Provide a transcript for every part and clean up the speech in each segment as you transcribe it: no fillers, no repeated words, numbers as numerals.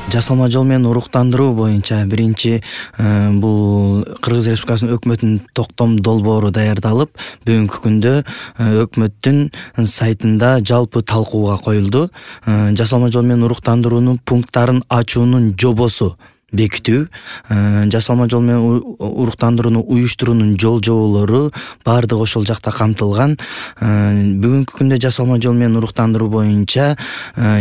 Жасалма жол менен уруктандыруу боюнча биринчи бул Кыргыз Республикасынын өкмөтүнүн токтом долбоору даярдалып, бүгүнкү күндө өкмөттүн сайтында жалпы талкууга коюлду. Жасалма жол менен уруктандыруунун пункттарын ачуунун жобосу бекитүү, жасалма жол менен уруктандырууну уюштуруунун жол-жоболору баардыгы ошол жакта камтылган. Бүгүнкү күндө жасалма жол менен уруктандыруу боюнча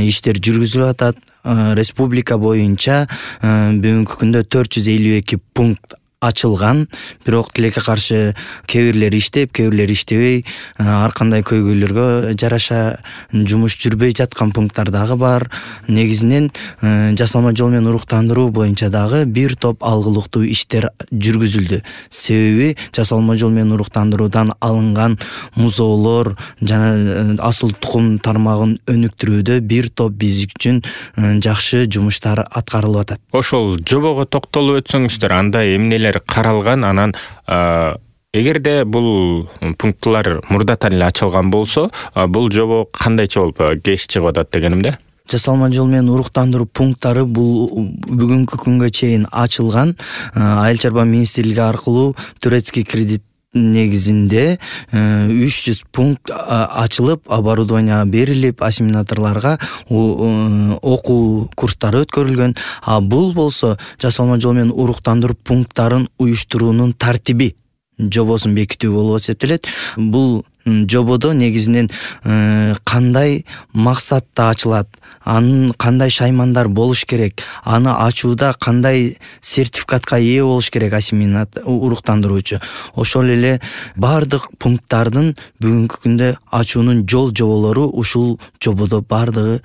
иштер жүргүзүлүп атат. Республика боюнча бүгүнкү күндө 452 пункт ачылган, бирок тилекке каршы кээ бирлери иштеп, кээ бирлери иштебей, ар кандай көйгөйлөргө жараша жумуш жүрбөй жаткан пункттар дагы бар. Негизинен жасалма жол менен уруктандыруу боюнча дагы бир топ алгылыктуу иштер жүргүзүлдү. Себеби жасалма жол менен уруктандыруудан алынган музоолор жана асыл тукум тармагын өнүктүрүүдө бир топ биз үчүн жакшы жумуштар аткарылып атат. Ошол жобого токтолуп өтсөңүздөр, анда эмнелер каралган, анан эгерде бул пунктлар мурдатан эле ачылган болсо, бул жобо кандайча болуп кеш чыгып атат дегенимде? Жасалма жол менен уруктандыруу пункттары бул бүгүнкү күнгө чейин ачылган. Айыл чарба министрлиги аркылуу турецкий кредит негизинде 300 пункт ачылып, оборудование берилип, ассимиляторлорго окуу курстары өткөрүлгөн. Бул болсо жасалма жол менен уруктандыруу пункттарын уюштуруунун тартиби жобосун бекитүү болуп эсептелет. Бул жободо негизинен кандай максатта ачылат, анын кандай шаймандар болуш керек, аны ачууда кандай сертификатка ээ болуш керек уруктандыруучу. Ошол эле бардык пункттардын бүгүнкү күндө ачуунун жол-жоболору ушул жободо бардыгы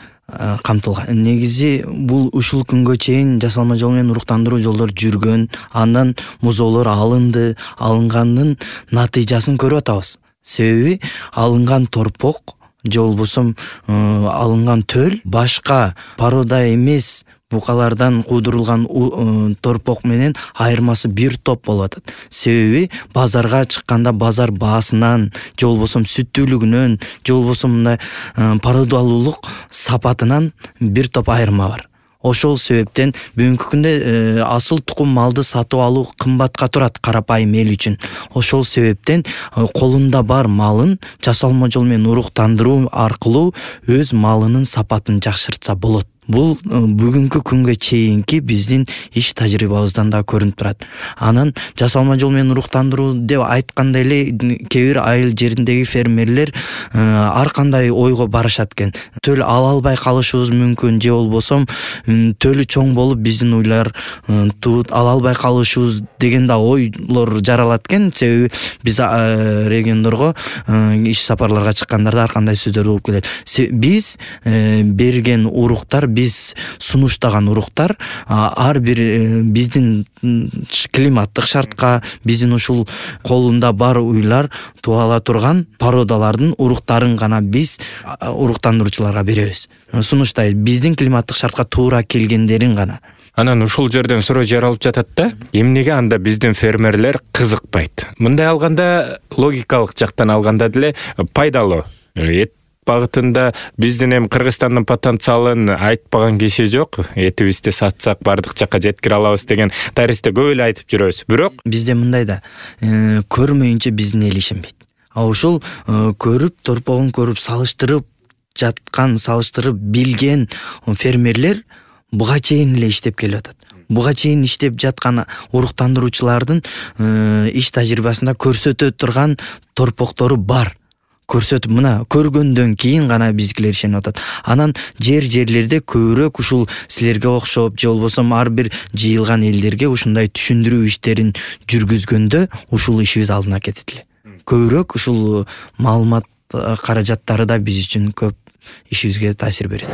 камтылган. Негизи бул ушул күнгө чейин жасалма жол менен уруктандыруу жолдор жүргөн, андан музоолор алынды, алынганын натыйжасын көрүп атабыз. Себеби алынган торпок же болбосо алынган төл башка порода эмес букалардан куудурулган торпок менен айырмасы бир топ болуп атат. Себеби базарга чыкканда базар баасынан, же болбосо сүттүүлүгүнөн, же болбосо мындай породалуулук сапатынан бир топ айырма бар. Ошол себептен бүгүнкү күндө асыл тукум малды сатып алуу кымбатка турат карапайым эл үчүн. Ошол себептен колунда бар малын жасалма жол менен уруктандыруу аркылуу өз малынын сапатын жакшыртса болот. Бул бүгүнкү күнгө чейинки биздин иш тажрыйбабыздан да көрүнүп турат. Анан жасалма жол менен уруктандыруу деп айтканда эле кээ бир айыл жериндеги фермерлер ар кандай ойго барышат экен. Төл ала албай калышыбыз мүмкүн, же болбосо төлү чоң болуп биздин уйлар тут ала албай калышыбыз деген да ойлор жаралат экен. Себеби биз региондорго иш сапарларга чыккандарда ар кандай сөздөр болуп келет. Биз берген уруктар, биз сунуштаган уруктар ар бир биздин климаттык шартка, биздин ушул колунда бар уйлар туала турган породалардын уруктарын гана биз уруктандыруучуларга беребиз. Сунуштай биздин климаттык шартка туура келгендерин гана. Анан ушул жерден суроо жаралып жатат да, эмнеге анда биздин фермерлер кызыкпайт? Мындай алганда, логикалык жактан алганда деле пайдалуу. Багытында биздин эми Кыргызстандын потенциалын айтпаган киши жок. Этибизди сатсак бардык жакка жеткире алабыз деген тарихте көп эле айтып жүрөбүз. Бирок бизде мындай да, көрмөйүнчө биздин эл ишенбейт. Ушул көрүп, торпогун көрүп, салыштырып билген фермерлер буга чейин эле иштеп келип атат. Буга чейин иштеп жаткан уруктандыруучулардын иш тажрыйбасында көрсөтө турган торпоктору бар. Көрсөтүп, мына көргөндөн кийин гана бизгилер ишенип атат. Анан жерлерде көбүрөөк ушул силерге окшоп, же болбосо ар бир жыйылган элдерге ушундай түшүндүрүү иштерин жүргүзгөндө ушул ишибиз алдына кетет эле. Көбүрөөк ушул маалымат каражаттары да биз үчүн көп ишибизге таасир берет.